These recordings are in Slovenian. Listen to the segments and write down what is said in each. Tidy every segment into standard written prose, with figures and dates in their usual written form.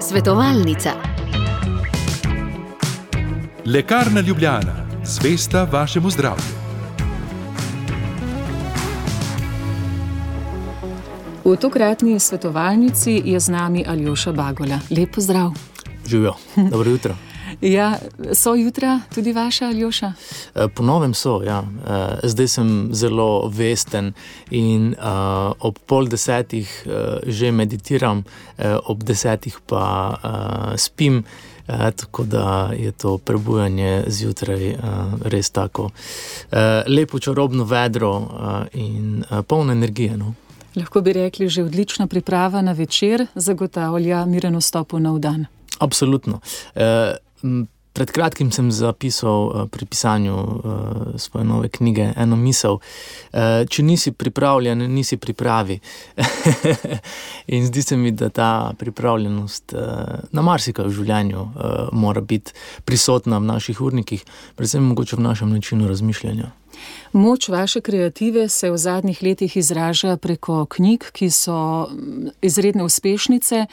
Svetovalnica. Lekarna Ljubljana, zvesta vašemu zdravju. V tokratni svetovalnici je z nami Aljoša Bagola. Lep pozdrav. Živijo, dobro jutro. Ja, so jutra tudi vaša, Aljoša? Po novem so, ja. Zdaj sem zelo vesten in ob 9:30 že meditiram, ob 10:00 pa spim, tako da je to prebujanje zjutraj res tako lepo, čarobno vedro in polno energije, no. Lahko bi rekli, že odlična priprava na večer zagotavlja miren vstop v nov dan. Absolutno. Pred kratkim sem zapisal pri pisanju svoje nove knjige eno misel. Če nisi pripravljen, nisi pripravi. In zdi se mi, da ta pripravljenost na marsikaj v življenju mora biti prisotna v naših urnikih, predvsem mogoče v našem načinu razmišljanja. Moč vaše kreative se v zadnjih letih izraža preko knjig, ki so izredne uspešnice.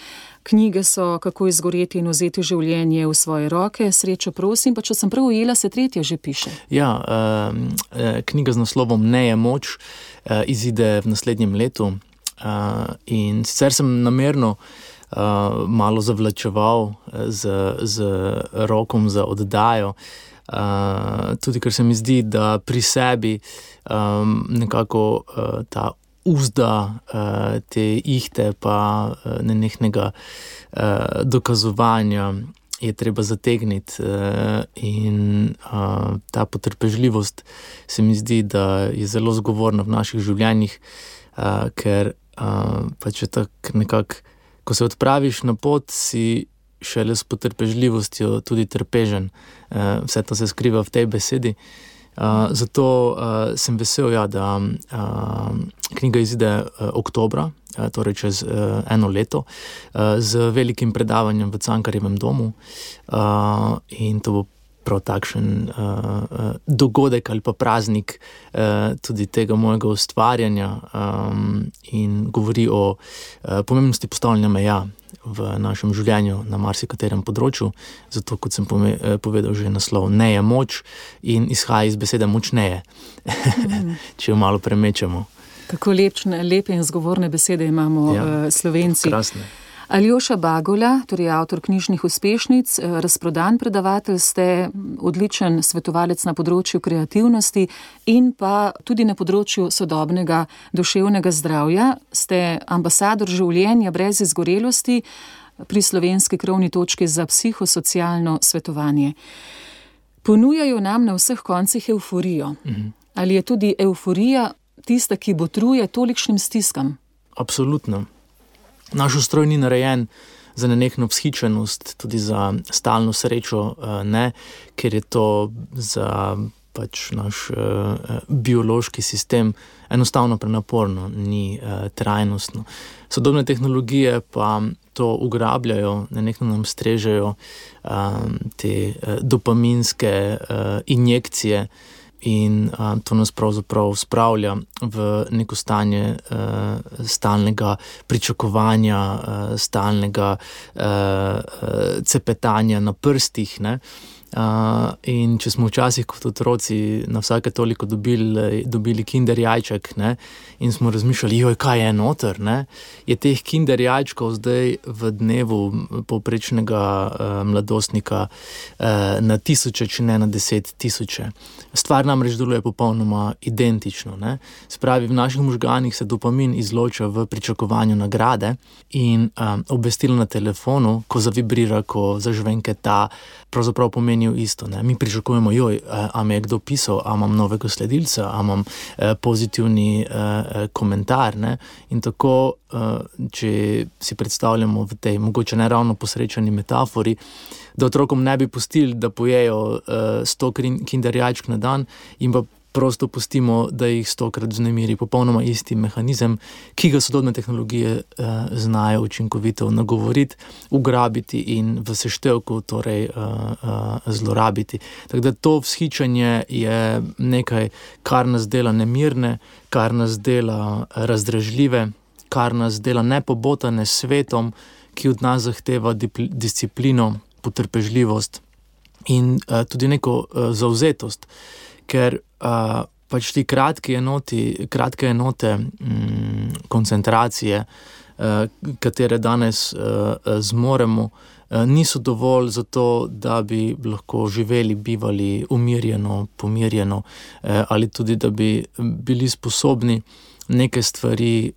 Knjige so Kako izgoreti in vzeti življenje v svoje roke, Srečo prosim, pa če sem prav ujela, se 3. že piše. Ja, knjiga z naslovom Ne je moč izide v naslednjem letu in sicer sem namerno malo zavlačeval z rokom za oddajo, tudi ker se mi zdi, da pri sebi nekako ta uzda te ihte pa nenehnega dokazovanja je treba zategniti in ta potrpežljivost se mi zdi, da je zelo zgovorna v naših življenjih, ker pa če tako nekako, ko se odpraviš na pot, si šele s potrpežljivostjo tudi trpežen. Vse to se skriva v tej besedi. Zato sem vesel, ja, da knjiga izide oktobra, torej čez eno leto, z velikim predavanjem v Cankarjevem domu. In to bo prav takšen dogodek ali pa praznik tudi tega mojega ustvarjanja in govori o pomembnosti postavljanja meja v našem življenju na marsikaterem področju. Zato, kot sem povedal že naslov, Ne je moč in izhaja iz besede močneje, če jo malo premečemo. Kako lepe in zgovorne besede imamo Slovenci. Krasne. Aljoša Bagola, torej avtor knjižnih uspešnic, razprodan predavatelj, ste odličen svetovalec na področju kreativnosti in pa tudi na področju sodobnega duševnega zdravja. Ste ambasador življenja brez izgorelosti pri Slovenski krovni točki za psihosocialno svetovanje. Ponujajo nam na vseh koncih evforijo. Ali je tudi evforija tista, ki botruje tolikšnim stiskam? Absolutno. Naš ustroj ni narejen za nenehno vzhičenost, tudi za stalno srečo, ne, ker je to za pač naš biološki sistem enostavno prenaporno, ni trajnostno. Sodobne tehnologije pa to ugrabljajo, nenehno nam strežejo te dopaminske injekcije in to nas pravzaprav spravlja v neko stanje stalnega pričakovanja, stalnega cepetanja na prstih, ne. In če smo včasih kot otroci na vsake toliko dobili kinder jajček, ne, in smo razmišljali, kaj je noter, ne, je teh kinder jajčkov zdaj v dnevu povprečnega mladostnika na tisoče, če ne na 10 000. Stvar namreč deluje popolnoma identično, ne. Spravi, v naših možganih se dopamin izloča v pričakovanju nagrade in obvestilo na telefonu, ko zavibrira, ko zažvenketa, pravzaprav pomenijo isto, ne. Mi pričakujemo, a me je kdo pisal, a imam novega sledilca, a imam pozitivni komentar, ne. In tako, če si predstavljamo v tej mogoče ne ravno posrečeni metafori, da otrokom ne bi pustili, da pojejo 100 kinder jajčk na dan in pa prosto pustimo, da jih 100-krat vznemiri. Popolnoma isti mehanizem, ki ga sodobne tehnologije znajo učinkovito nagovoriti, ugrabiti in v seštevku torej zlorabiti. Tako da to vzhičanje je nekaj, kar nas dela nemirne, kar nas dela razdražljive, kar nas dela nepobotane s svetom, ki od nas zahteva disciplino, potrpežljivost in tudi neko zavzetost, ker pač ti kratke enote koncentracije, katere danes zmoremo, niso dovolj za to, da bi lahko živeli, bivali umirjeno, pomirjeno, ali tudi, da bi bili sposobni neke stvari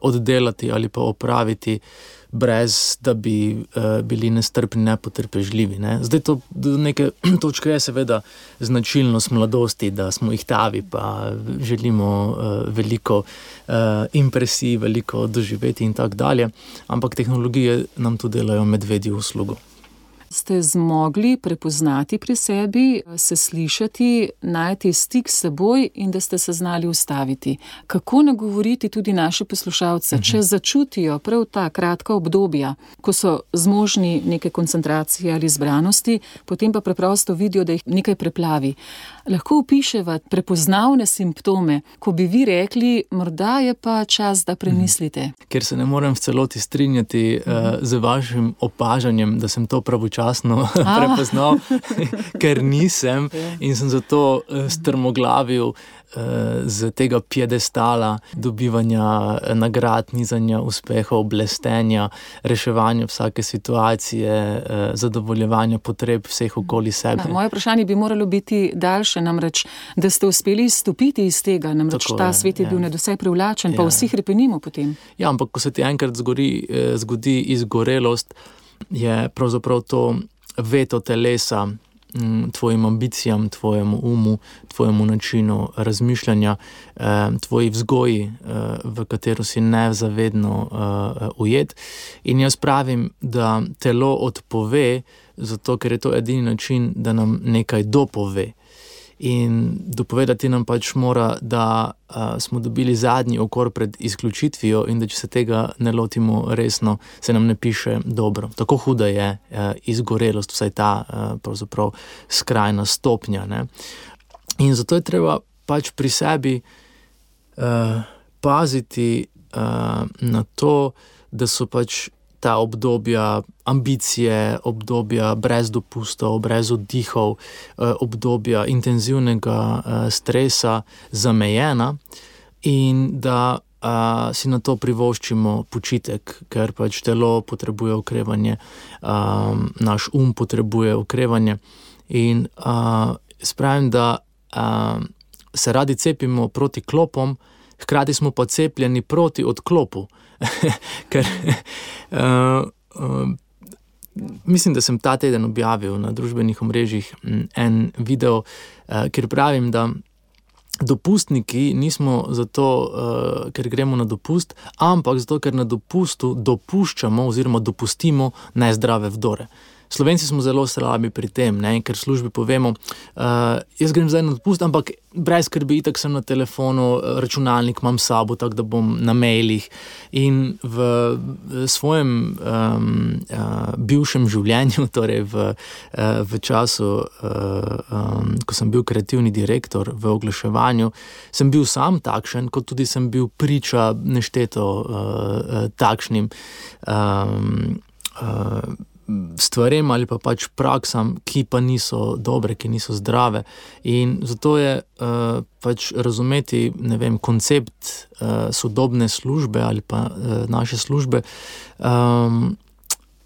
oddelati ali pa opraviti, brez da bi bili nestrpni, nepotrpežljivi. Ne? Zdaj to do neke točke je seveda značilnost mladosti, da smo ihtavi, pa želimo veliko impresij, veliko doživeti in tako dalje, ampak tehnologije nam tu delajo medvedjo uslugo. Ste zmogli prepoznati pri sebi, se slišati, najti stik s seboj in da ste se znali ustaviti. Kako nagovoriti tudi naše poslušalce, če začutijo prav ta kratka obdobja, ko so zmožni neke koncentracije ali zbranosti, potem pa preprosto vidijo, da jih nekaj preplavi. Lahko opiševa prepoznavne simptome, ko bi vi rekli, morda je pa čas, da premislite. Ker se ne morem v celoti strinjati z vašim opažanjem, da sem to pravočasno prepoznal, ker nisem in sem zato strmoglavil z tega piedestala dobivanja nagrad, nizanja uspehov, blestenja, reševanja vsake situacije, zadovoljevanja potreb vseh okoli sebe. Moje vprašanje bi moralo biti daljše, namreč, da ste uspeli izstopiti iz tega, namreč tako ta svet je bil nadvse privlačen, pa vsi hrepenimo potem. Ja, ampak ko se ti enkrat zgodi izgorelost, je pravzaprav to veto telesa tvojim ambicijam, tvojemu umu, tvojemu načinu razmišljanja, tvoji vzgoji, v katero si nezavedno ujet. In jaz pravim, da telo odpove, zato ker je to edini način, da nam nekaj dopove. In dopovedati nam pač mora, da smo dobili zadnji okor pred izključitvijo in da če se tega ne lotimo resno, se nam ne piše dobro. Tako huda je izgorelost, vsaj ta pravzaprav skrajna stopnja. Ne? In zato je treba pač pri sebi paziti na to, da so pač ta obdobja ambicije, obdobja brez dopustov, brez oddihov, obdobja intenzivnega stresa zamejena in da si na to privoščimo počitek, ker pač telo potrebuje okrevanje, naš potrebuje okrevanje in spravim, da se radi cepimo proti klopom, hkrati smo pa cepljeni proti odklopu. Ker mislim, da sem ta teden objavil na družbenih omrežjih en video, kjer pravim, da dopustniki nismo zato, ker gremo na dopust, ampak zato, ker na dopustu dopuščamo oziroma dopustimo nezdrave vdore. Slovenci smo zelo slabi pri tem, ne? Ker v službi povemo, jaz grem zdaj na dopust, ampak brez skrbi, itak sem na telefonu, računalnik imam s sabo, tako da bom na mailih. In v svojem bivšem življenju, torej v času, ko sem bil kreativni direktor v oglaševanju, sem bil sam takšen, kot tudi sem bil priča nešteto takšnim stvarem ali pa pač praksam, ki pa niso dobre, ki niso zdrave. In zato je pač razumeti, ne vem, koncept sodobne službe ali pa naše službe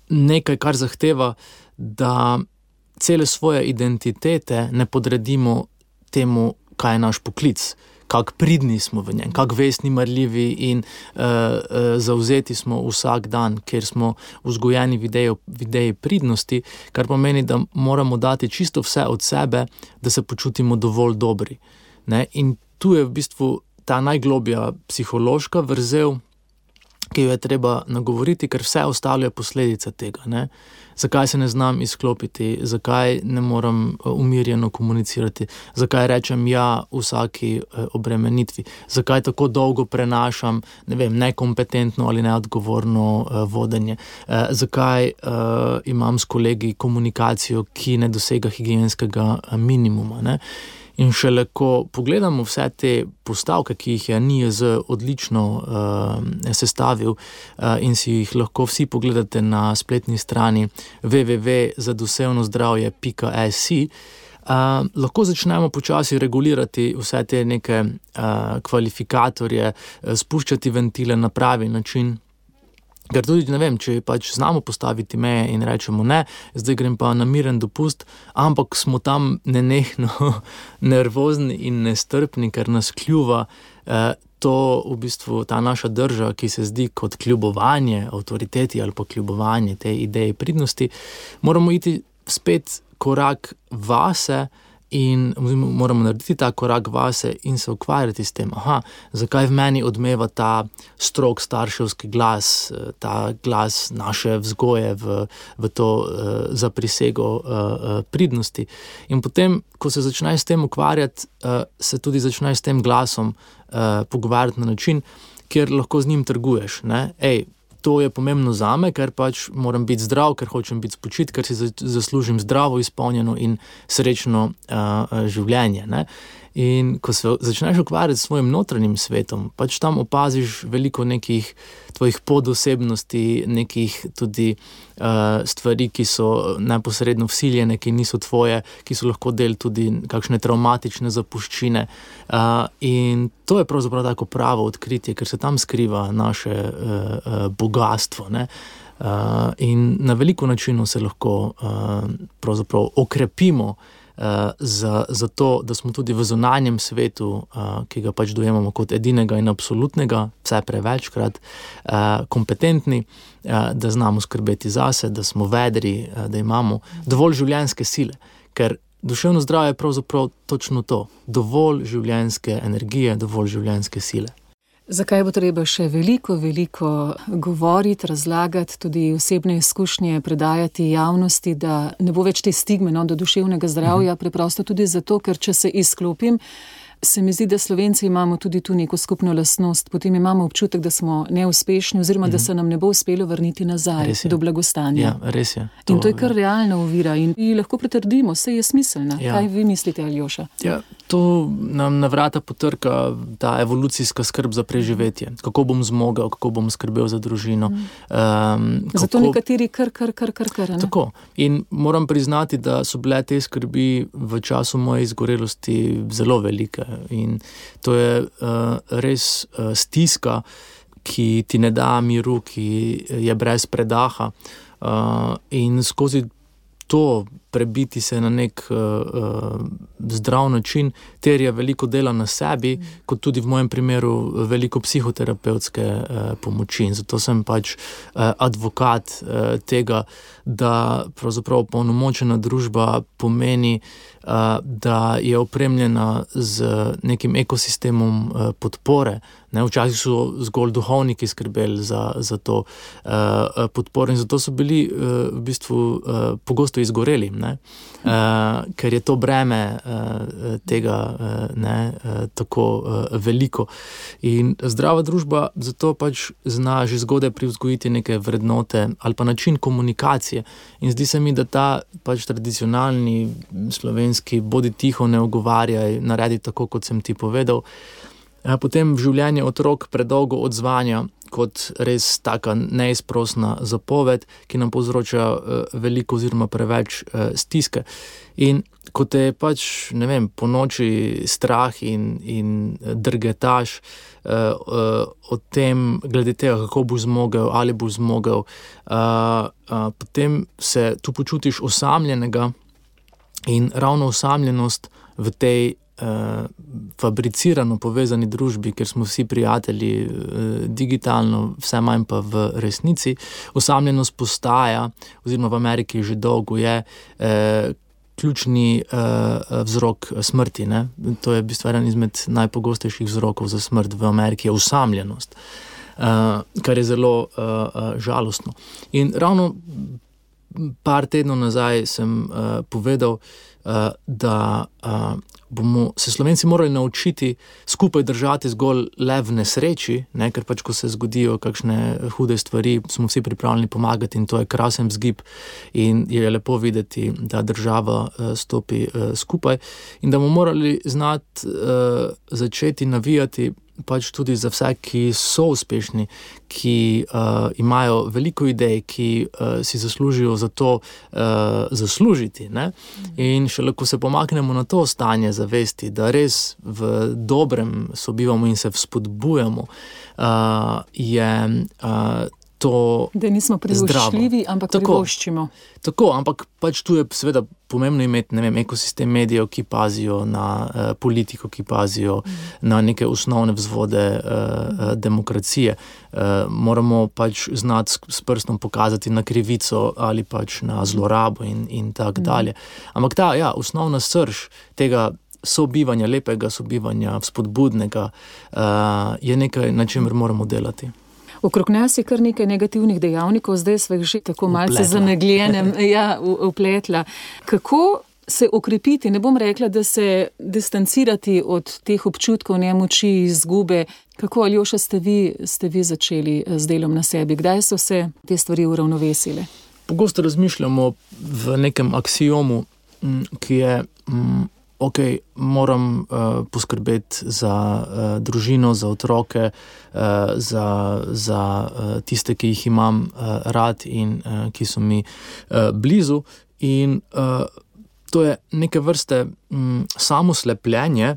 nekaj, kar zahteva, da cele svoje identitete ne podredimo temu, kaj je naš poklic, kako pridni smo v njem, kako vestni, marljivi in zavzeti smo vsak dan, ker smo vzgojeni v ideji pridnosti, kar pomeni, da moramo dati čisto vse od sebe, da se počutimo dovolj dobri. Ne? In tu je v bistvu ta najglobja psihološka vrzel, ki jo je treba nagovoriti, ker vse ostalo je posledica tega. Ne? Zakaj se ne znam izklopiti, zakaj ne moram umirjeno komunicirati, zakaj rečem ja vsaki obremenitvi, zakaj tako dolgo prenašam, ne vem, nekompetentno ali neodgovorno vodenje, zakaj imam s kolegi komunikacijo, ki ne dosega higienskega minimuma. Ne? In šele ko pogledamo vse te postavke, ki jih je NIJZ odlično sestavil in si jih lahko vsi pogledate na spletni strani www.zadusevnozdravje.si, lahko začnemo počasi regulirati vse te neke kvalifikatorje, spuščati ventile na pravi način. Ker tudi, ne vem, če pač znamo postaviti meje in rečemo ne, zdaj grem pa na miren dopust, ampak smo tam nenehno nervozni in nestrpni, ker nas kljuva to v bistvu ta naša drža, ki se zdi kot kljubovanje avtoriteti ali pa kljubovanje tej ideji pridnosti, moramo iti spet korak vase in moramo narediti ta korak vase in se ukvarjati s tem, zakaj v meni odmeva ta strog starševski glas, ta glas naše vzgoje v to zaprisego pridnosti. In potem, ko se začneš s tem ukvarjati, se tudi začneš s tem glasom pogovarjati na način, kjer lahko z njim trguješ, ne? To je pomembno zame, ker pač moram biti zdrav, ker hočem biti spočit, ker si zaslužim zdravo, izpolnjeno in srečno življenje, ne? In ko se začneš ukvarjati s svojim notranjim svetom, pač tam opaziš veliko nekih tvojih podosebnosti, nekih tudi stvari, ki so neposredno vsiljene, ki niso tvoje, ki so lahko del tudi kakšne travmatične zapuščine. In to je pravzaprav tako pravo odkritje, ker se tam skriva naše bogastvo, ne? In na veliko načinov se lahko pravzaprav okrepimo za to, da smo tudi v zunanjem svetu, ki ga pač dojemamo kot edinega in absolutnega, vse prevečkrat, kompetentni, da znamo skrbeti zase, da smo vedri, da imamo dovolj življenjske sile, ker duševno zdravje je pravzaprav točno to, dovolj življenjske energije, dovolj življenjske sile. Zakaj bo treba še veliko govoriti, razlagati, tudi osebne izkušnje predajati javnosti, da ne bo več te stigme do duševnega zdravja, preprosto tudi zato, ker če se izklopim, se mi zdi, da Slovenci imamo tudi tu neko skupno lastnost, potem imamo občutek, da smo neuspešni oziroma da se nam ne bo uspelo vrniti nazaj do blagostanja. Ja, res je. In to je kar realna ovira in lahko pretrdimo, saj je smiselna. Ja. Kaj vi mislite, Aljoša? Ja, to nam na vrata potrka ta evolucijska skrb za preživetje. Kako bom zmogel, kako bom skrbel za družino. Zato nekateri kar, ne? Tako. In moram priznati, da so bile te skrbi v času moje izgorelosti zelo velike. In to je res stiska, ki ti ne da miru, ki je brez predaha. In skozi to prebiti se na nek zdrav način terja veliko dela na sebi, kot tudi v mojem primeru veliko psihoterapevtske pomoči. In zato sem pač advokat tega, da pravzaprav polnomočena družba pomeni, da je opremljena z nekim ekosistemom podpore. Ne, včasih so zgolj duhovniki skrbeli za to podporo in zato so bili v bistvu pogosto izgoreli, ne? Ker je to breme tega tako veliko. In zdrava družba zato pač zna že zgodaj privzgojiti neke vrednote ali pa način komunikacije. In zdi se mi, da ta pač tradicionalni slovenski bodi tiho, ne ogovarjaj, naredi tako, kot sem ti povedal, potem v življenje otrok predolgo odzvanja kot res taka neizprosna zapoved, ki nam povzroča veliko oziroma preveč stiske. In ko te pač, ne vem, po noči strah in drgetaš o tem, glede tega, kako boš zmogel, ali boš zmogel, potem se tu počutiš osamljenega in ravno osamljenost v tej fabricirano povezani družbi, ker smo vsi prijatelji digitalno, vse manj pa v resnici. Osamljenost postaja, oziroma v Ameriki že dolgo je, ključni vzrok smrti, ne? To je v bistvu eden izmed najpogostejših vzrokov za smrt v Ameriki, je osamljenost, kar je zelo žalostno. In ravno par tednov nazaj sem povedal, da bomo se Slovenci morali naučiti skupaj držati zgolj le v nesreči, ne, ker pač, ko se zgodijo kakšne hude stvari, smo vsi pripravljeni pomagati in to je krasen vzgib in je lepo videti, da država stopi skupaj in da bomo morali znati začeti navijati pač tudi za vse, ki so uspešni, ki imajo veliko idej, ki si zaslužijo za to zaslužiti. Ne? In šele ko se pomaknemo na to stanje zavesti, da res v dobrem sobivamo in se vzpodbujamo, je to da nismo privoščljivi, ampak privoščimo. Tako, ampak pač tu je seveda pomembno imeti, ne vem, ekosistem medijev, ki pazijo na politiko, ki pazijo na neke osnovne vzvode demokracije. Moramo pač znati s prstom pokazati na krivico ali pač na zlorabo in tak dalje. Ampak ta, osnovna srž tega sobivanja, lepega sobivanja, vzpodbudnega, je nekaj, na čemer moramo delati. Okrog nas je kar nekaj negativnih dejavnikov, zdaj sva jih že tako malce zamegljenem vpletla. Kako se okrepiti, ne bom rekla, da se distancirati od teh občutkov nemoči, izgube? Kako, Aljoša, ste vi začeli z delom na sebi? Kdaj so se te stvari uravnovesile? Pogosto razmišljamo v nekem aksiomu, ki je moram poskrbeti za družino, za otroke, za tiste, ki jih imam rad in ki so mi blizu. In to je neke vrste samoslepljenje,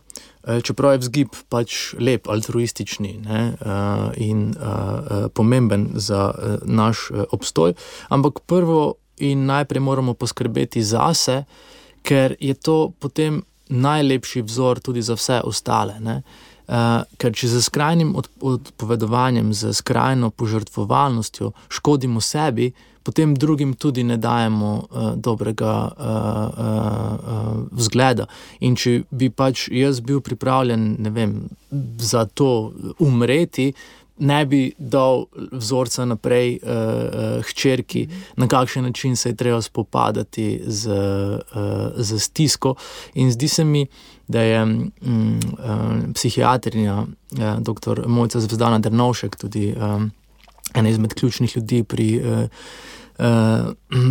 čeprav je vzgib pač lep, altruistični, ne, in pomemben za naš obstoj. Ampak prvo in najprej moramo poskrbeti zase, ker je to potem najlepši vzor tudi za vse ostale. Ne? Ker če z skrajnim odpovedovanjem, z skrajno požrtvovalnostjo škodimo sebi, potem drugim tudi ne dajemo dobrega vzgleda. In če bi pač jaz bil pripravljen, ne vem, za to umreti, ne bi dal vzorca naprej hčerki, na kakšen način se je treba spopadati z stisko. In zdi se mi, da je psihiatrinja dr. Mojca Zvezdana Drnovšek, tudi ena izmed ključnih ljudi pri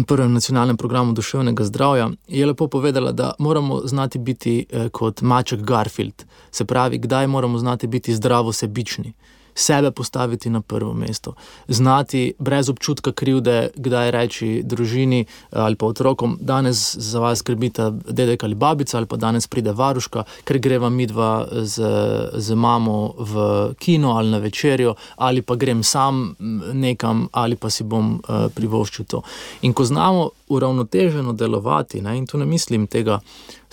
prvem nacionalnem programu duševnega zdravja, je lepo povedala, da moramo znati biti kot maček Garfield. Se pravi, kdaj moramo znati biti zdravo sebični. Sebe postaviti na prvo mesto, znati brez občutka krivde, kdaj reči družini ali pa otrokom, danes za vas skrbita dedek ali babica, ali pa danes pride varuška, ker greva midva z mamo v kino ali na večerjo, ali pa grem sam nekam, ali pa si bom privoščil to. In ko znamo uravnoteženo delovati, ne, in tu ne mislim tega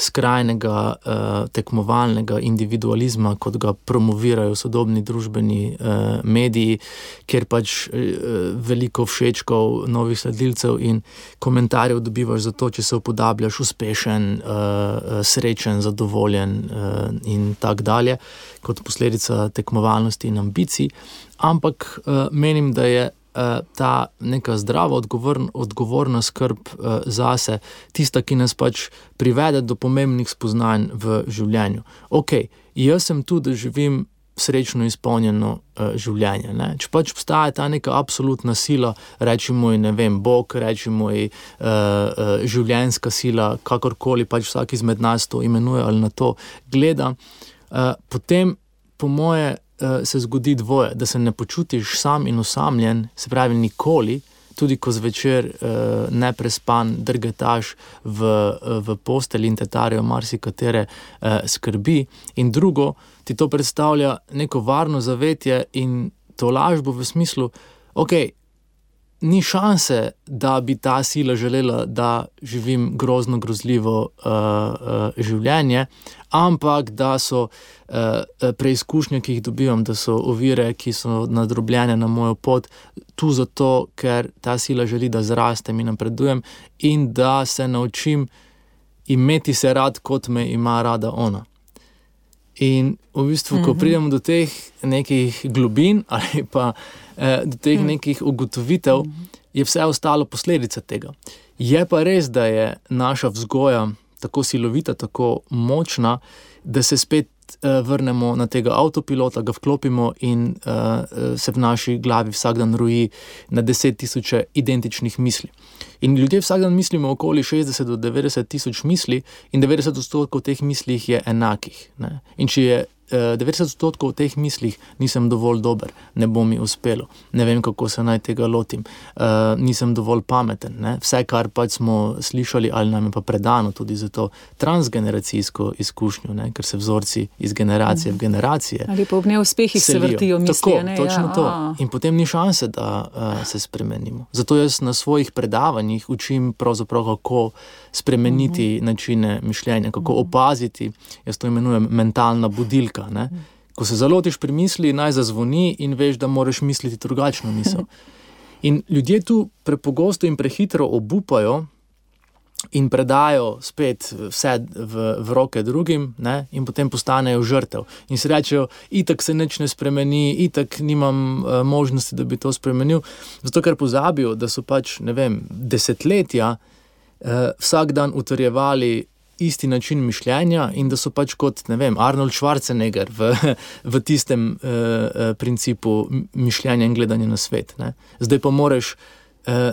skrajnega tekmovalnega individualizma, kot ga promovirajo sodobni družbeni mediji, kjer pač veliko všečkov, novih sledilcev in komentarjev dobivaš za to, če se upodabljaš uspešen, srečen, zadovoljen in tak dalje, kot posledica tekmovalnosti in ambicij. Ampak menim, da je ta neka zdrava, odgovorna skrb zase, tista, ki nas pač privede do pomembnih spoznanj v življenju. Jaz sem tu, da živim srečno izpolnjeno življenje. Ne? Če pač obstaja ta neka absolutna sila, rečemo ji, ne vem, Bog, rečemo ji življenjska sila, kakorkoli pač vsak izmed nas to imenuje ali na to gleda, potem po moje se zgodi dvoje, da se ne počutiš sam in osamljen, se pravi nikoli, tudi ko zvečer neprespan drgetaš v postelji in te tarejo marsikatere skrbi. In drugo, ti to predstavlja neko varno zavetje in to lažbo v smislu, ni šanse, da bi ta sila želela, da živim grozno, grozljivo življenje, ampak da so preizkušnje, ki jih dobivam, da so ovire, ki so nadrobljene na mojo pot, tu zato, ker ta sila želi, da zrastem in napredujem in da se naučim imeti se rad, kot me ima rada ona. In v bistvu, ko pridemo do teh nekih globin ali pa do teh nekih ugotovitev, je vse ostalo posledica tega. Je pa res, da je naša vzgoja tako silovita, tako močna, da se spet vrnemo na tega avtopilota, ga vklopimo in se v naši glavi vsak dan roji na 10.000 identičnih misli. In ljudje vsak dan mislimo okoli 60 do 90.000 misli in 90% teh mislih je enakih. Ne? In če je 90% teh mislih nisem dovolj dober, ne bo mi uspelo, ne vem, kako se naj tega lotim, nisem dovolj pameten. Ne? Vse, kar pač smo slišali ali nam je pa predano tudi za to transgeneracijsko izkušnjo, ne? Ker se vzorci iz generacije v generacije ali pa ob neuspehih se vrtijo misli. Tako, točno to. In potem ni šanse, da se spremenimo. Zato jaz na svojih predavanjih učim pravzaprav, kako spremeniti načine mišljenja, kako opaziti, jaz to imenujem mentalna budilka. Ne? Ko se zalotiš pri misli, naj zazvoni in veš, da moraš misliti drugačno misel. In ljudje tu prepogosto in prehitro obupajo in predajo spet vse v roke drugim, ne? In potem postanejo žrtev. In si rečejo, itak se nič ne spremeni, itak nimam možnosti, da bi to spremenil. Zato, ker pozabijo, da so pač, ne vem, desetletja vsak dan utrjevali isti način mišljenja in da so pač kot, ne vem, Arnold Schwarzenegger v tistem principu mišljenja in gledanja na svet. Ne? Zdaj pa moraš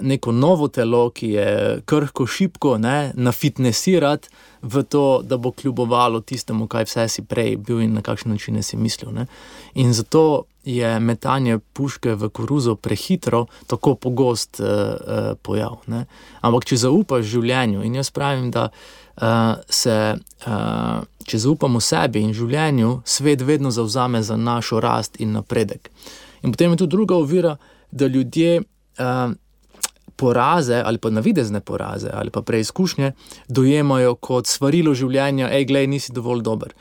neko novo telo, ki je krhko, šibko, ne, nafitnesirati v to, da bo kljubovalo tistemu, kaj vse si prej bil in na kakšen način si mislil. Ne? In zato je metanje puške v koruzo prehitro tako pogost pojav. Ne? Ampak če zaupaš življenju, in jaz pravim, da če zaupamo sebi in življenju, svet vedno zavzame za našo rast in napredek. In potem je tu druga ovira, da ljudje poraze ali pa navidezne poraze ali pa preizkušnje dojemajo kot svarilo življenja, glej, nisi dovolj dober.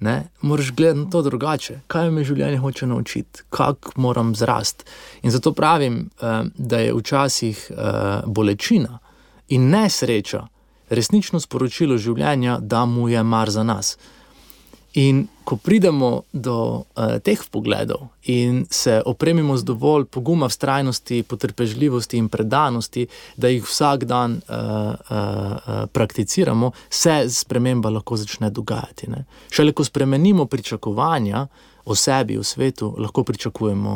Ne? Moraš gledati na to drugače. Kaj me življenje hoče naučiti? Kako moram zrasti? In zato pravim, da je včasih bolečina in nesreča resnično sporočilo življenja, da mu je mar za nas. In ko pridemo do teh vpogledov in se opremimo z dovolj poguma, vztrajnosti, potrpežljivosti in predanosti, da jih vsak dan prakticiramo, se sprememba lahko začne dogajati. Ne? Šele ko spremenimo pričakovanja o sebi, o svetu, lahko pričakujemo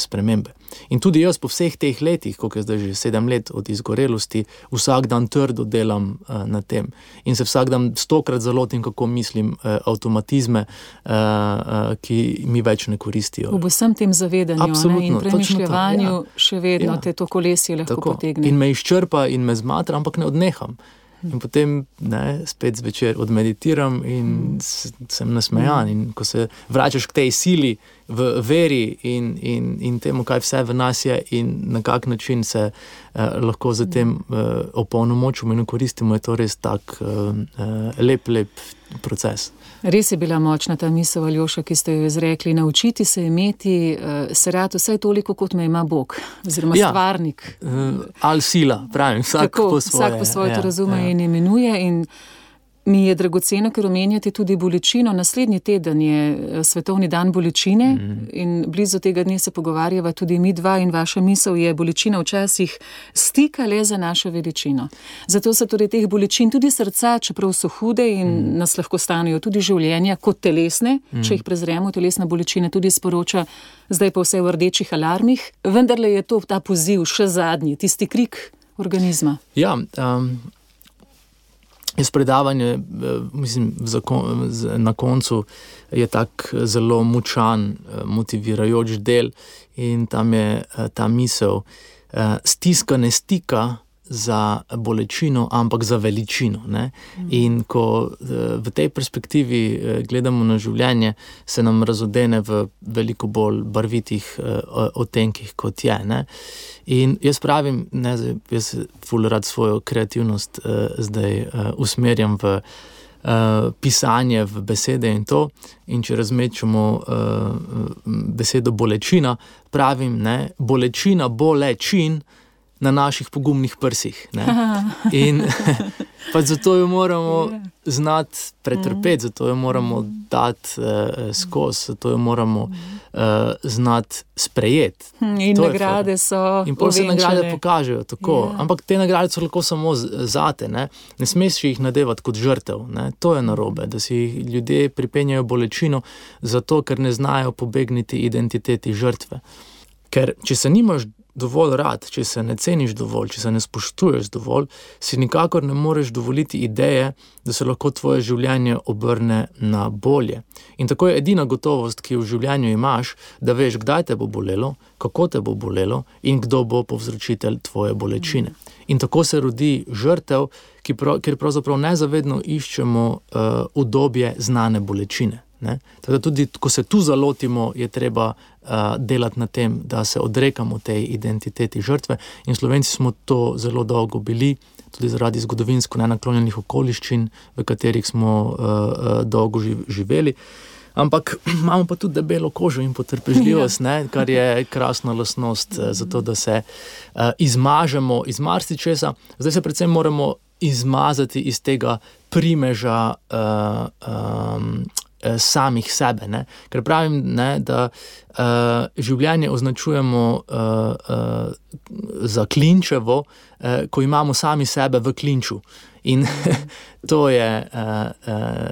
spremembe. In tudi jaz po vseh teh letih, koliko je zdaj že 7 let od izgorelosti, vsak dan trdo delam na tem. In se vsak dan 100-krat zalotim, kako mislim, avtomatizme, ki mi več ne koristijo. Ob vsem tem zavedanju, ne, in premišljevanju še vedno te to kolesje lahko potegne. In me izčrpa in me zmatra, ampak ne odneham. In potem spet zvečer odmeditiram in sem nasmejan. In ko se vračaš k tej sili v veri in temu, kaj vse v nas je in na kak način se lahko za tem opolnomočimo in koristimo, je to res tak lep proces. Res je bila močna ta misel, Aljoša, ki ste jo izrekli, naučiti se imeti se rad vsaj toliko, kot me ima Bog, oziroma stvarnik. Ali sila, pravim, vsak po svoje. Vsak po svoje to razume in imenuje. In mi je dragoceno, ker omenjate tudi bolečino. Naslednji teden je svetovni dan bolečine in blizu tega dne se pogovarjava tudi mi dva in vaša misel je bolečina včasih stika le za našo veličino. Zato se torej teh bolečin tudi srca, čeprav so hude in nas lahko stanejo tudi življenja kot telesne, če jih prezremo, telesna bolečina tudi sporoča, zdaj pa vse v rdečih alarmih, vendarle je to ta poziv še zadnji, tisti krik organizma. Ja, jaz predavanje, mislim, na koncu je tak zelo močan, motivirajoč del in tam je ta misel, stiska ne stika za bolečino, ampak za veličino. Ne? In ko v tej perspektivi gledamo na življenje, se nam razodene v veliko bolj barvitih odtenkih, kot je. Ne? In jaz pravim, jaz ful rad svojo kreativnost zdaj usmerjam v pisanje, v besede in to. In če razmečemo besedo bolečina, pravim, bolečina bolečin na naših pogumnih prsih. Ne? In pa zato jo moramo znati pretrpeti, zato jo moramo dati skozi, zato jo moramo znati sprejeti. In nagrade so in pol se nagrade pokažejo tako, ampak te nagrade so lahko samo zate, ne smeš jih nadevati kot žrtev, ne? To je narobe, da si ljudje pripenjajo bolečino zato, ker ne znajo pobegniti identiteti žrtve. Ker če se nimaš dovolj rad, če se ne ceniš dovolj, če se ne spoštuješ dovolj, si nikakor ne moreš dovoliti ideje, da se lahko tvoje življenje obrne na bolje. In tako je edina gotovost, ki jo v življenju imaš, da veš, kdaj te bo bolelo, kako te bo bolelo in kdo bo povzročitelj tvoje bolečine. In tako se rodi žrtev, kjer pravzaprav nezavedno iščemo udobje znane bolečine. Ne? Tako da tudi, ko se tu zalotimo, je treba delati na tem, da se odrekamo tej identiteti žrtve. In Slovenci smo to zelo dolgo bili, tudi zaradi zgodovinsko nenaklonjenih okoliščin, v katerih smo dolgo živeli. Ampak imamo pa tudi debelo kožo in potrpežljivost, ne? Kar je krasna lastnost za to, da se izmažemo iz marsičesa. Zdaj se predvsem moramo izmazati iz tega primeža samih sebe, ne? Ker pravim, ne, da življenje označujemo za klinčevo, ko imamo sami sebe v klinču. In to je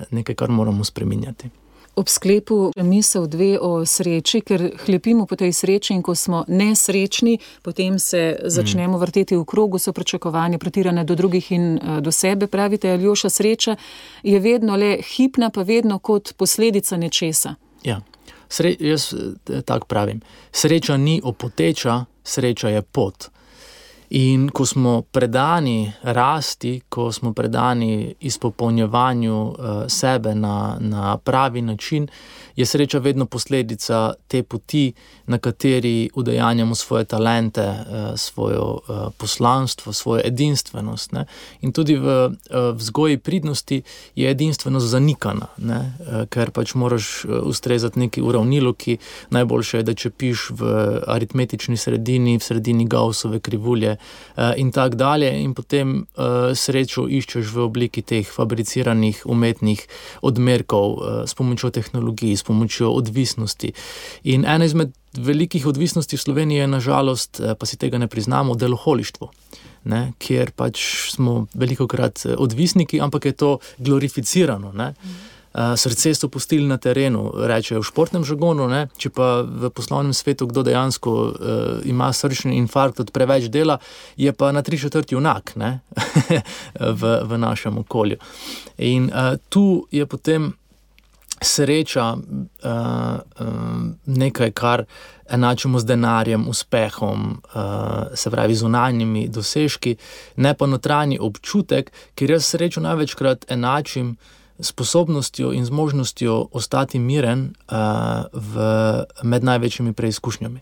nekaj, kar moramo spreminjati. Ob sklepu misel dve o sreči, ker hlepimo po tej sreči in ko smo nesrečni, potem se začnemo vrteti v krogu, so pričakovanja pretirane do drugih in do sebe. Pravite, Aljoša, sreča je vedno le hipna, pa vedno kot posledica nečesa. Ja, jaz tako pravim. Sreča ni opoteča, sreča je pot. In ko smo predani rasti, ko smo predani izpopolnjevanju sebe na pravi način, je sreča vedno posledica te poti, na kateri udejanjamo svoje talente, svojo poslanstvo, svojo edinstvenost. Ne? In tudi v vzgoji pridnosti je edinstvenost zanikana, ne? Ker pač moraš ustrezati neki uravnilovki, najboljše je, da če piš v aritmetični sredini, v sredini Gaussove krivulje, in tak dalje, in potem srečo iščeš v obliki teh fabriciranih umetnih odmerkov s pomočjo tehnologij, s pomočjo odvisnosti. In ena izmed velikih odvisnosti v Sloveniji je nažalost, pa si tega ne priznamo, deloholištvo, ne? Kjer pač smo velikokrat odvisniki, ampak je to glorificirano, ne? Srce so pustili na terenu, rečejo v športnem žargonu, ne? Če pa v poslovnem svetu kdo dejansko ima srčni infarkt od preveč dela, je pa na 3/4 junak, ne? v našem okolju. In tu je potem sreča nekaj, kar enačimo z denarjem, uspehom, se pravi zunanjimi dosežki, ne pa notranji občutek, ker jaz srečo največkrat enačim sposobnostjo in zmožnostjo ostati miren med največjimi preizkušnjami.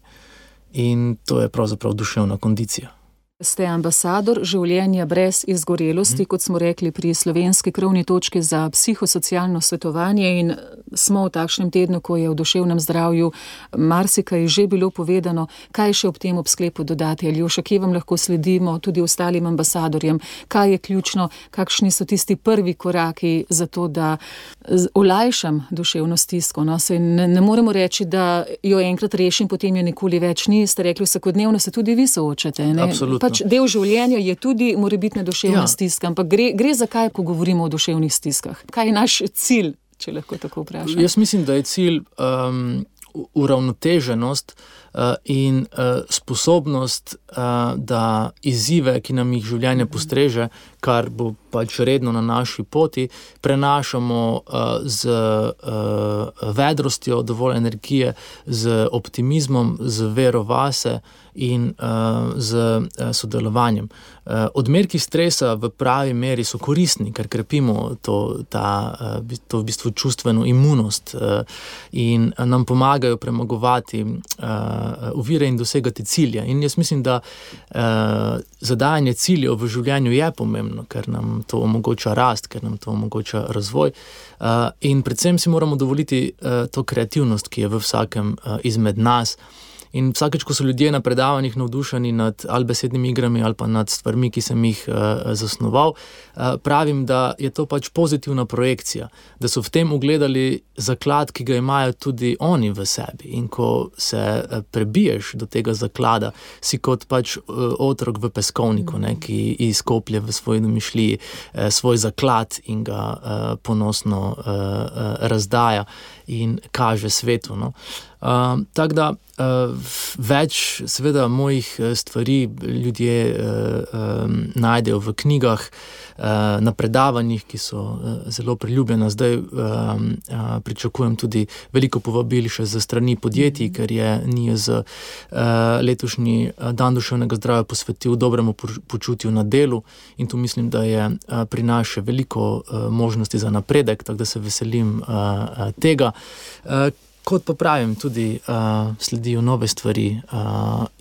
In to je pravzaprav duševna kondicija. Ste ambasador življenja brez izgorelosti, kot smo rekli pri slovenski krovni točki za psihosocialno svetovanje, in smo v takšnem tednu, ko je v duševnem zdravju marsikaj že bilo povedano. Kaj še ob tem ob sklepu dodati, Aljoša, kje vam lahko sledimo tudi ostalim ambasadorjem? Kaj je ključno, kakšni so tisti prvi koraki za to, da olajšam duševno stisko? No, se ne moremo reči, da jo enkrat rešim, potem jo nikoli več ni. Ste rekli, vsakodnevno se tudi vi soočate, ne? Absolutno. Pač del življenja je tudi morebitna duševna stiska, ampak gre za kaj, ko govorimo o duševnih stiskah? Kaj je naš cilj, če lahko tako vprašam? Jaz mislim, da je cilj uravnoteženost in sposobnost, da izzive, ki nam jih življenje postreže, kar bo pač redno na naši poti, prenašamo z vedrostjo, dovolj energije, z optimizmom, z vero vase in z sodelovanjem. Odmerki stresa v pravi meri so koristni, ker krepimo to v bistvu čustveno imunost in nam pomagajo premagovati ovire in dosegati cilje. In jaz mislim, da zadajanje ciljev v življenju je pomembno, ker nam to omogoča rast, ker nam to omogoča razvoj. In predvsem si moramo dovoliti to kreativnost, ki je v vsakem izmed nas. In vsakeč, ko so ljudje na predavanjih navdušeni nad ali besednimi igrami ali pa nad stvarmi, ki sem jih zasnoval, pravim, da je to pač pozitivna projekcija, da so v tem ugledali zaklad, ki ga imajo tudi oni v sebi. In ko se prebiješ do tega zaklada, si kot pač otrok v peskovniku, ne, ki izkoplje v svoji domišljiji svoj zaklad in ga ponosno razdaja in kaže svetu. No. Tako da več seveda mojih stvari ljudje najdejo v knjigah, na predavanjih, ki so zelo priljubljena. Zdaj pričakujem tudi veliko povabil še za strani podjetij, ker je NIJZ letošnji dan duševnega zdravja posvetil dobremu počutju na delu in tu mislim, da je pri nas še veliko možnosti za napredek, tako da se veselim tega. Kot pa pravim, tudi sledijo nove stvari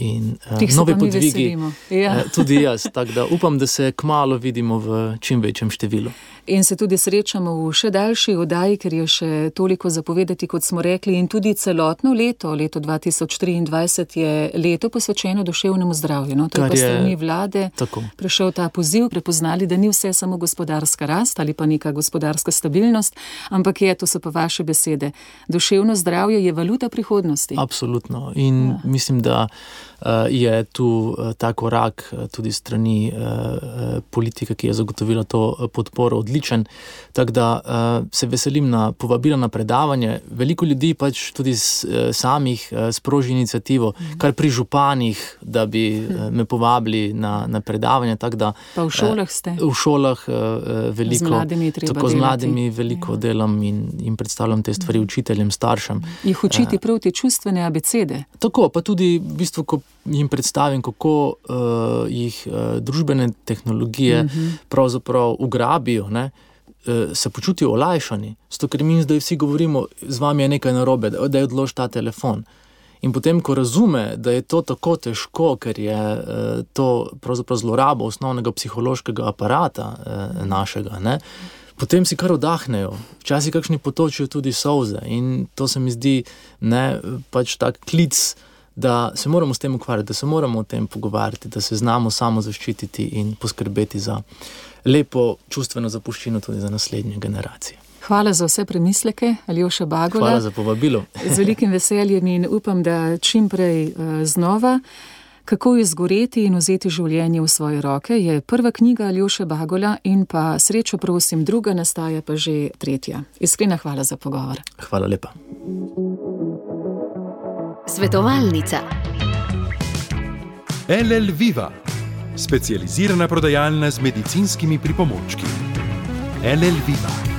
in nove podvigi. Ja. Tudi jaz, tako da upam, da se kmalu vidimo v čim večjem številu. In se tudi srečamo v še daljši oddaji, ker je še toliko zapovedati, kot smo rekli, in tudi celotno leto 2023 je leto posvečeno duševnemu zdravju. No, to je pa strani vlade prišel ta poziv, prepoznali, da ni vse samo gospodarska rast ali pa neka gospodarska stabilnost, ampak to so pa vaše besede. Duševno zdravje je valuta prihodnosti. Absolutno. In mislim, da je tu ta korak tudi strani politike, ki je zagotovila to podporo, odličen. Tako da se veselim na povabila na predavanje. Veliko ljudi pač tudi samih sproži iniciativo, kar pri županih, da bi me povabili na predavanje. Tako da, pa v šolah ste? V šolah veliko. Z mladimi treba tako delati. Z mladimi veliko delam in predstavljam te stvari učiteljem, staršem. Jih učiti prav te čustvene abecede? Tako, pa tudi v bistvu, ko jim predstavim, kako jih družbene tehnologije pravzaprav ugrabijo, ne, se počutijo olajšani. Zato, ker mi zdaj vsi govorimo, z vami je nekaj narobe, da je odlož ta telefon. In potem, ko razume, da je to tako težko, ker je to pravzaprav zloraba osnovnega psihološkega aparata našega, ne, potem si kar vdahnejo. Včasih kakšni potočijo tudi solze in to se mi zdi pač tak klic, da se moramo s tem ukvarjati, da se moramo o tem pogovarjati, da se znamo samo zaščititi in poskrbeti za lepo čustveno zapuščino tudi za naslednje generacije. Hvala za vse premisleke, Aljoša Bagola. Hvala za povabilo. Z velikim veseljem in upam, da čim prej znova. Kako izgoreti in vzeti življenje v svoje roke je prva knjiga Aljoše Bagola in pa Srečo prosim, druga, nastaja pa že tretja. Iskrena hvala za pogovor. Hvala lepa. Svetovalnica. LL Viva, specializirana prodajalna z medicinskimi pripomočki. LL Viva.